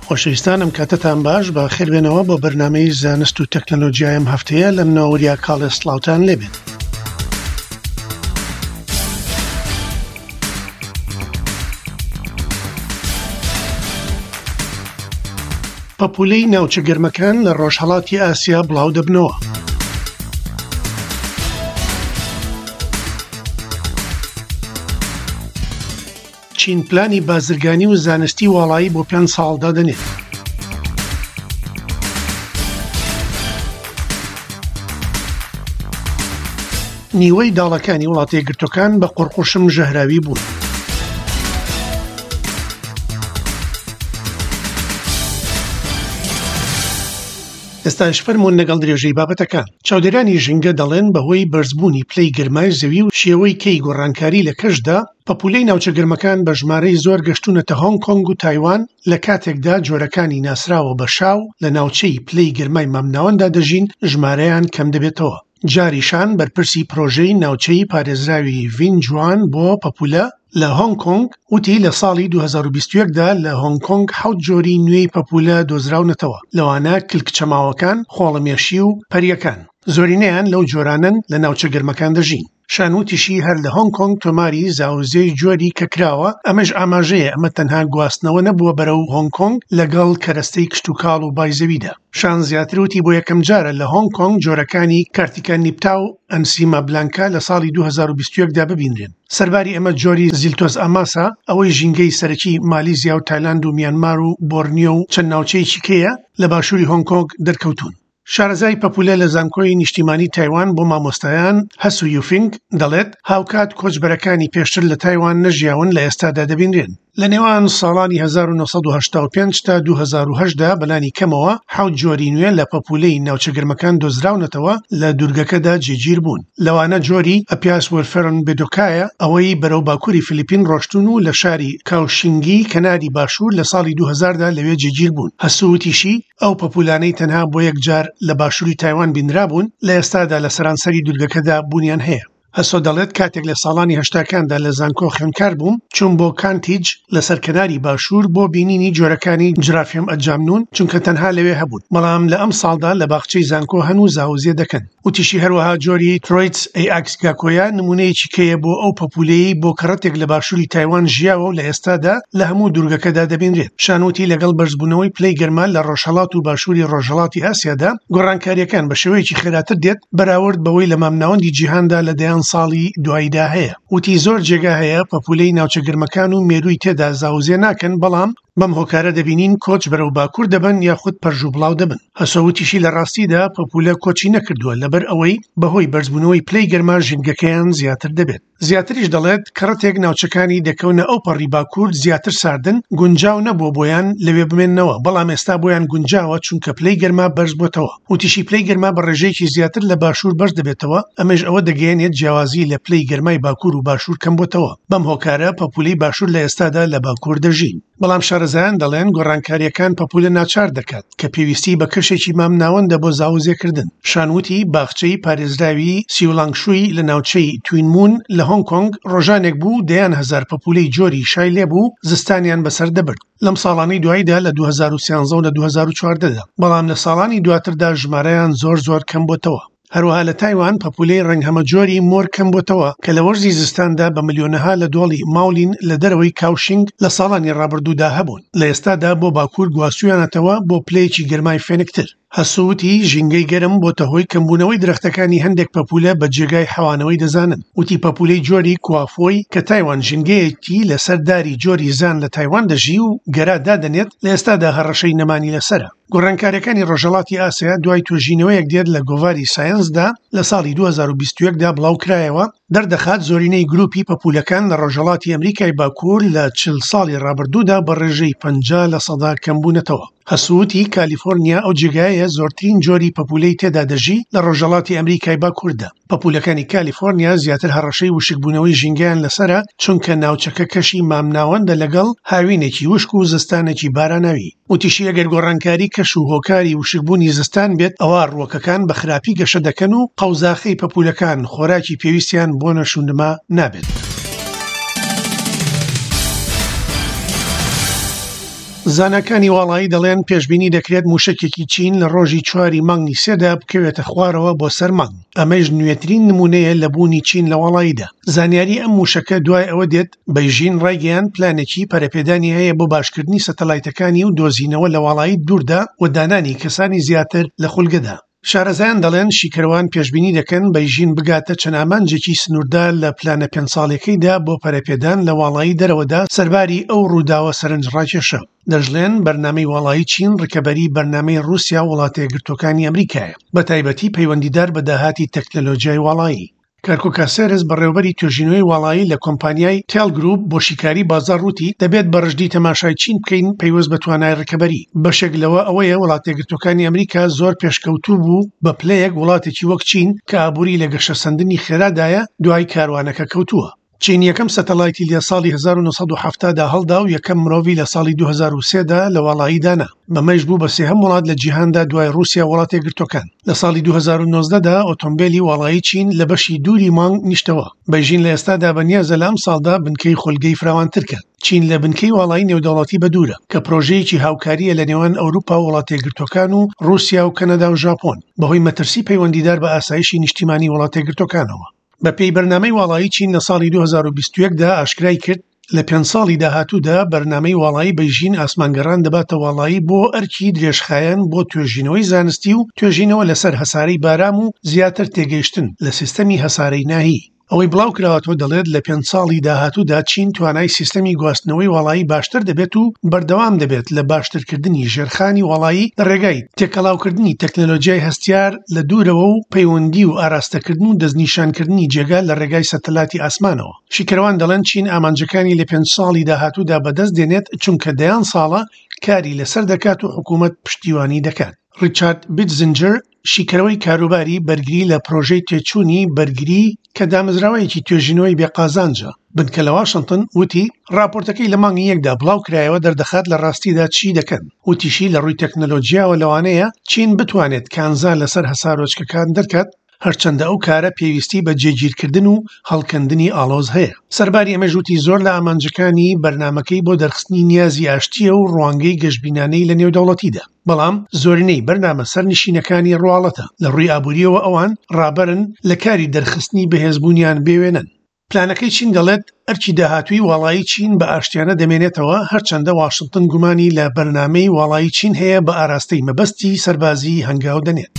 خۆشەویستان ئەم کاتەتان باش بە خێربێنەوە بۆ بەرنمەی زانست و تەکنەلۆجیای ئەم هەفتەیە لە منەوە وریا کاڵێ سڵاوتان لێبێت. پەپولەی ناوچە گەرمەکان لە ڕۆژهەڵاتی ئاسیا بڵاو دەبنەوە. چین پلانی بازرگانی و زانستی واڵایی بۆ پێنج ساڵ دادەنێت. نیوەی داڵەکانی وڵاتە یەکگرتووەکان بە قوڕقوشم ژەهراوی بوون. ئێستاش فەرموون لەگەڵ درێژەی بابەتەکان. چاودێرانی ژینگە دەڵێن بەهۆی بەرزبوونی پلەی گەرمای زەوی و شێوەی کەی گۆڕانکاری لە کەشدا، پەپوولەی ناوچە گەرمەکان بە ژمارەی زۆر گەشتوونەتە هۆنگ کۆنگ و تایوان، لە کاتێکدا جۆرەکانی ناسراوە بە شاو لە ناوچەی پلەی گەرمای مامناوەنددا دەژین ژمارەیان کەمدەبێتەوە. جاری شان بەرپرسی پرۆژەی ناوچەی پارێزراوی ڤین جوان بۆ پەپوولە لە هۆنگ کۆنگ وتی لە ساڵی 2021 دا لە هۆنگ کۆنگ حەوت جۆری نوێی پەپوولە دۆزراونەتەوە، لەوانە کلکچەماوەکان، خۆڵەمێشی و پەرییەکان. زۆرینەیان لەو جۆرانەن لە ناوچە گەرمەکان دەژین. شان وتیشی هەر لە هۆنگ کۆنگ تۆماری زاوزێی جۆری کە کراوە، ئەمەش ئاماژەیە ئەمە تەنها گواستنەوە نەبووە بەرەو هۆنگ کۆنگ لەگەڵ کەرەستەی کشتوکاڵ و بای زەویدا. شان زیاتر وتی بۆ یەکەمجارە لە هۆنگ کۆنگ جۆرەکانی کارتیکا نیپتا و ئەنسیما بلانکا لە ساڵی 2021 دا ببینرێن. سەرباری ئەمە جۆری زیلتۆس ئاماسا ئەوەی ژینگەی سەرەکی مالیزیا و تایلاند و میانمار و بۆرنیۆ و چەند ناوچەیەکی کەیە لە باشووری هۆنگ کۆنگ دەرکەوتوون. شارەزای پەپولە لە زانکۆی نیشتیمانی تایوان بۆ مامۆستایان، هەسو یوفینگ، دەڵێت، هاوکات کۆچبەرەکانی پێشتر لە تایوان نەژیاون لە ئێستادا دەبینرێن. لە نێوان ساڵانی 1985 تا 2008 دا بەلانی کەمەوە حەوت جۆری نوێ لە پەپولەی ناوچە گەرمەکان دۆزراونەتەوە لە دوورگەکەدا جێگیر بوون، لەوانە جۆری ئەپیاس وێرفێرن بێدۆکایە ئەوەی بەرەو باکووری فلیپین ڕۆشتوون و لە شاری کاوشینگی کەناری باشوور لە ساڵی 2000 دا لەوێ جێگیر بوون. هەسو وتیشی، ئەو پەپوولانەی تەنها بۆ یەک جار لە باشووری تایوان بینرابوون، لە ئێستادا لە سەرانسەری دوورگەکەدا بوونیان هەیە. هەسۆ دەڵێت کاتێک لە ساڵانی هەشتاکاندا لە زانکۆ خوێندکار بووم، چووم بۆ کانتیج لەسەر کەناری باشوور بۆ بینینی جۆرەکانی جرافیەم ئەجامنون، چونکە تەنها لەوێ هەبوون، بەڵام لە ئەمساڵدا لە باخچەی زانکۆ هەن و زاوزێ دەکەن. وتیشی هەروەها جۆری ترۆیتس ئەی ئاکس گاکۆیا نمونەیەکی کەیە بۆ ئەو پەپولەیەی بۆ کەڕەتێک لە باشوری تایوان ژیاوە و لە ئێستادا لە هەموو دورگەکەدا دەبینرێت. شان وتی لەگەڵ بەرزبوونەوەی پلەی گەرما لە ڕۆژهەڵات و باشوری ڕۆژهەڵاتی ئاسیادا گۆڕانکارییەکان بە شێوەیەکی خێراتر دێت بەراورد بەوەی لە مامناوەندی جیهاندا لە دەیان ساڵی دواییدا هەیە. وتی زۆر جێگا هەیە پەپولەی ناوچە گەرمەکان و مێرووی تێدا زاوزێ ناکەن بەڵام بەم هۆکارە دەبینین کۆچ بەرەو باکوور دەبەن یاخود پەرژوبڵاو دەبن. هەسۆ وتیشی لە ڕاستیدا پەپولە کۆچی نەکردووە لەبەر ئەوەی بەهۆی بەرزبوونەوەی پلەی گەرما ژینگەکەیان زیاتر دەبێت. زیاتریش دەڵێت کەڕەتێک ناوچەکانی دەکەونە ئەو پەڕی باکوور زیاتر ساردن گونجاو نەبووە بۆیان لەوێ بمێننەوە بەڵام ئێستا بۆیان گونجاوە چونکە پلەی گەرما بەرزبووەتەوە. وتیشی پلەی گەرما بە ڕێژەیەکی زیاتر لە باشوور بەرز دەبێتەوە، ئەمەیش ئەوە دەگەیەنێت جیاوازی لە پلەی گەرمای باکوور و باشوور کەمبۆتەوە، بەم هۆکارە پەپوولەی باشوور لە ئێستادا لە باکوور دەژین. بەڵام شارەزایان دەڵێن گۆڕانکارییەکان پەپوولە ناچار دەکات، کە پێویستی بە کەشێکی مامناوەندە بۆ زاوزێکردن. شان وتی باخچەی پارێزراوی سیولانگشوی لە ناوچەی توین مون لە هۆنگ کۆنگ ڕۆژانێک بوو دەیان هەزار پەپوولەی جۆری شای لێبوو زستانیان بەسەر دەبرد. لەم ساڵانەی دواییدا لە 2013 و لە 2014 دا، بەڵام لە ساڵانی دواتردا ژمارەیان زۆر زۆر کەم بۆتەوە. هەروەها لە تایوان پەپولەی ڕەنگ هەمەجۆری مۆر کەم بۆتەوە کە لە وەرزی زستاندا بە ملیۆنەها لە دۆڵی ماولین لە دەرەوەی کاوشینگ لە ساڵانی ڕابردوودا هەبوون، لە ئێستادا بۆ باکوور گواستوویانەتەوە بۆ پلەیەکی گەرمای فێنکتر. هەسو وتی، ژینگەی گەرم بۆتە هۆی کەمبوونەوەی درەختەکانی هەندێک پەپوولە بە جێگای حەوانەوەی دەزانن. وتی پەپوولەی جۆری کوافۆی کە تایوان ژینگەیەکی لەسەر داری جۆری زان لە تایوان دەژی و گەرا دادەنێت لە ئێستادا هەڕەشەی نەمانی لەسەرە. گۆڕانکارییەکانی ڕۆژهەڵاتی ئاسیا دوای توێژینەوەیەک دێت لە گۆڤاری سایەنسدا لە ساڵی 2021 دا بڵاوکرایەوە دەردەخات زۆرینەی گروپی پەپوولەکان لە ڕۆژهەڵاتی ئەمریکای باکوور لە 40 ساڵی ڕابردوودا بە ڕێژەی 50 لەسەدا کەمبوونەتەوە. هەسو وتی، کالیفۆرنیا ئەو جێگایەیە زۆرترین جۆری پەپوولەی تێدا دەژی لە ڕۆژهەڵاتی ئەمریکای باکووردا. پەپوولەکانی کالیفۆرنیا زیاتر هەڕەشەی وشکبوونەوەی ژینگەیان لەسەرە، چونکە ناوچەکە کەشی مامناوەندە لەگەڵ هاوینێکی وشک و زستانێکی باراناوی. وتیشی، ئەگەر گۆڕانکاری کەش و هۆکاری وشکبوونی زستان بێت، ئەوا ڕووەکەکان بە خراپی گەشە دەکەن و قەوزاخەی پەپوولەکان خۆراکی پێویستیان بۆ نەشونما نابێت. زاناکانی واڵایی دەڵێن پێشبینی دەکرێت مووشەکێکی چین لە ڕۆژی چواری مانگی سێدا بکەوێتە خوارەوە بۆ سەر مانگ، ئەمەیش نوێترین نموونەیە لە بوونی چین لە واڵاییدا. زانیاری ئەم مووشەکە دوای ئەوە دێت، بەیژین ڕایگەیاند پلانێکی پەرەپێدانی هەیە بۆ باشکردنی سەتەلایتەکانی و دۆزینەوە لە واڵایی دووردا و دانانی کەسانی زیاتر لە خولگەدا. شارەزایان دەڵێن شیکەرەوان پێشبینی دەکەن بەیژین بگاتە چەند ئامانجێکی سنووردار لە پلانە پێنج ساڵیەکەیدا بۆ پەرەپێدان لە واڵایی دەرەوەدا سەرباری ئەو ڕووداوە سەرنجڕاکێشە. دەشڵێن بەرنامەی واڵایی چین ڕکەبەری بەرنامەی ڕووسیا و وڵاتەیەکگرتووەکانی ئەمریکایە، بەتایبەتی پەیوەندیدار بە داهاتی تەکنەلۆجیای واڵایی. کارکۆ کاسێرس، بەڕێوەبەری توێژینەوەی واڵایی لە کۆمپانیای تێل گروپ بۆ شیکاری بازاڕ وتی، دەبێت بە ڕژدی تەماشای چین بکەین پەیوەست بە توانای ڕکەبەری. بەشێک لەوە ئەوەیە وڵاتەیەکگرتووەکانی ئەمریکا زۆر پێشکەوتوو بوو بە پلەیەک وڵاتێکی وەک چین کە ئابووری لە گەشەسەندنی خێرادایە دوای کاروانەکە کەوتووە. چین یەکەم سەتەلایتی لە ساڵی 1970 دا هەڵدا و یەکەم مرۆڤی لە ساڵی 2003 دا لە واڵایی دانا، بەمەیش بوو بە سێهەم وڵات لە جیهاندا دوای ڕووسیا و وڵاتەیەکگرتووەکان. لە ساڵی 2019 دا ئۆتۆمبێلی واڵایی چین لە بەشی دووری مانگ نیشتەوە. بەیژین لە ئێستادا بەنیازە لە ئەمساڵدا بنکەی خولگەی فراوانتر کات. چین لە بنکەی واڵایی نێودەوڵەتی بەدوورە، کە پرۆژەیەکی هاوکارییە لە نێوان ئەوروپا و وڵاتەیەکگرتووەکان و ڕووسیا و کەنەدا و ژاپۆن، بەهۆی مەترسی پەیوەندیدار بە ئاسایشی نیشتیمانی وڵاتەیەکگرتووەکانەوە. بەپێی بەرنامەی واڵایی چین لە ساڵی 2021 دا ئاشکرای کرد، لە پێنج ساڵی داهاتوودا بەرنامەی واڵایی بەیژین ئاسمانگەڕان دەباتە واڵایی بۆ ئەرکی درێژخایەن بۆ توێژینەوەی زانستی و توێژینەوە لەسەر هەسارەی بارام و زیاتر تێگەیشتن لە سیستەمی هەسارەی ناهی. ئەوەی بڵاوکراوەتەوە دەڵێت لە پێنج ساڵی داهاتوودا چین توانای سیستەمی گواستنەوەی واڵایی باشتر دەبێت و بەردەوام دەبێت لە باشترکردنی ژێرخانی واڵایی لە ڕێگای تێکەڵاوکردنی تەکنەلۆجیای هەستیار لە دوورەوە و پەیوەندی و ئاراستەکردن و دەستنیشانکردنی جێگا لە ڕێگای سەتەلاتی ئاسمانەوە. شیکەرەوان دەڵێن چین ئامانجەکانی لە پێنج ساڵی داهاتوودا بەدەست دێنێت چونکە دەیان ساڵە کاری لەسەر دەکات و حکوومەت پشتیوانی دەکات. ڕیچارد بیتزنجەر، شیکەرەوەی کاروباری بەرگری لە پرۆژەی تێچوونی بەرگری کە دامەزراوەیەکی توێژینەوەی بێ قازانجە، بنکە لە واشنتن، وتی، ڕاپۆرتەکەی لە مانگی یەکدا بڵاوکرایەوە دەردەخات لە ڕاستیدا چی دەکەن. وتیشی، لە ڕووی تەکنەلۆجیاوە لەوانەیە چین بتوانێت کانزا لەسەر هەسارۆچکەکان دەرکات، هەرچەندە ئەو کارە پێویستی بە جێگیرکردن و هەڵکەندنی ئاڵۆز هەیە. سەرباری ئەمەش وتی زۆر لە ئامانجەکانی بەرنامەکەی بۆ دەرخستنی نیازی ئاشتییە و ڕوانگەی گەشبینانەی لە نێودەوڵەتیدا، بەڵام زۆرینەی بەرنامە سەرنشینەکانی ڕواڵەتە، لە ڕووی ئابوورییەوە ئەوان ڕابەرن لە کاری دەرخستنی بەهێزبوونیان بێوێنەن. پلانەکەی چین دەڵێت ئەرکی داهاتووی واڵایی چین بە ئاشتیانە دەمێنێتەوە، هەرچەندە واشنتن گومانی لە بەرنامەی واڵایی چین هەیە بە ئاراستەی مەبەستی سەربازی هەنگاو دەنێت.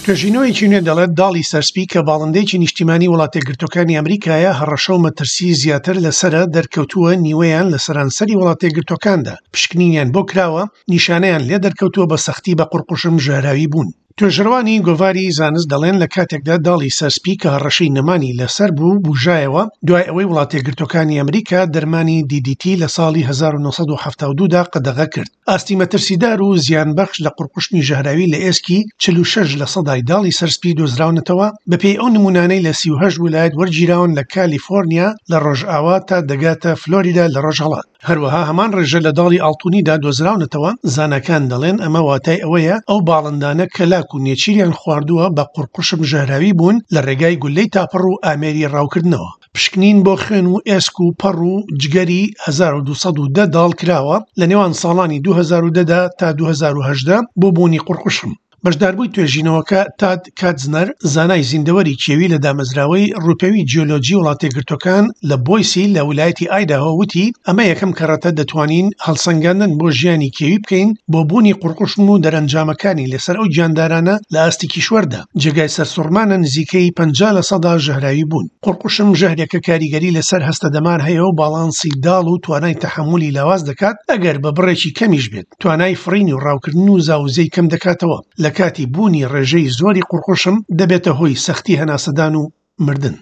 توێژینەوەیەکی نوێ دەڵێت داڵی سەرسپی کە باڵندەیەکی نیشتیمانی وڵاتەیەکگرتووەکانی ئەمریکایە هەڕەشە و مەترسی زیاتر لەسەرە دەرکەوتووە نیوەیان لە سەرانسەری وڵاتەیەکگرتووەکاندا پشکنینیان بۆ کراوە نیشانەیان لێ دەرکەوتووە بە سەختی بە قوڕقوشم ژەهراوی بوون. توێژەرەوانی گۆڤاری زانست دەڵێن لە کاتێکدا داڵی سەرسپی کە هەڕەشەی نەمانی لەسەر بوو بوژایەوە دوای ئەوەی وڵاتەیەکگرتووەکانی ئەمریکا دەرمانی DDT لە ساڵی 1972 دا قەدەغە کرد ئاستی مەترسیدار و زیانبەخش لە قوڕقوشمی ژەهراوی لە ئێسکی 46 لە سەدای داڵی سەرسپی دۆزراونەتەوە بەپێی ئەو نمونانەی لە 38 ولایەت وەرگیراون لە کالیفۆرنیا لە ڕۆژئاوا تا دەگاتە فلۆریدا لە ڕۆژهەڵات. هەروەها هەمان ڕێژە لە داڵی ئاڵتونیدا دۆزراونەتەوە، زاناکان دەڵێن ئەمە واتای ئەوەیە ئەو باڵندانە کە لاک و نێچیریان خواردووە بە قوڕقوشم ژەهراوی بوون لە ڕێگای گوللەی تاپڕ و ئامێری ڕاوکردنەوە. پشکنین بۆ خوێن و ئێسک و پەڕ و جگەری 1210 داڵ کراوە لە نێوان ساڵانی 2010 دا تا 2018 بۆ بوونی قوڕقوشم. بەشداربووی توێژینەوەکە تاد کاتزنەر، زانای زیندەوەری کێوی لە دامەزراوەی ڕووپێوی جیۆلۆجی وڵاتەیەکگرتووەکان لە بۆیسی لە ولایەتی ئایداهۆ وتی، ئەمە یەکەم کەڕەتە دەتوانین هەڵسەنگاندن بۆ ژیانی کێوی بکەین بۆ بوونی قوڕقوشم و دەرەنجامەکانی لەسەر ئەو گیاندارانە لە ئاستی کیشوەردا. جێگای سەرسوڕمانە نزیکەی 50 لەسەدا ژەهراوی بوون. قوڕقوشم ژەهرێکە کاریگەری لەسەر هەستەدەمار هەیە و باڵانسی داڵ و توانای تەحەمولی لاواز دەکات ئەگەر بە بڕێکی کەمیش بێت. توانای فڕین و ڕاوکردن و زاوزێی کەم دەکاتەوە، لە کاتی بوونی ڕێژەی زۆری قوڕقوشم دەبێتە هۆی سەختی هەناسەدان و مردن.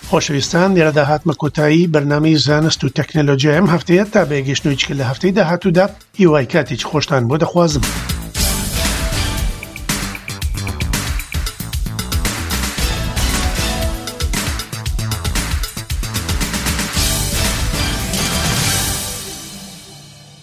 خۆشەویستان لێرەدا هاتمە کۆتایی بەرنامەی زانست و تەکنەلۆجیای ئەم هەفتەیە تا بەیەگەشتنەوەی چکە لە هەفتەی داهاتوودا هیوای کاتێکی خۆشتان بۆ دەخوازم.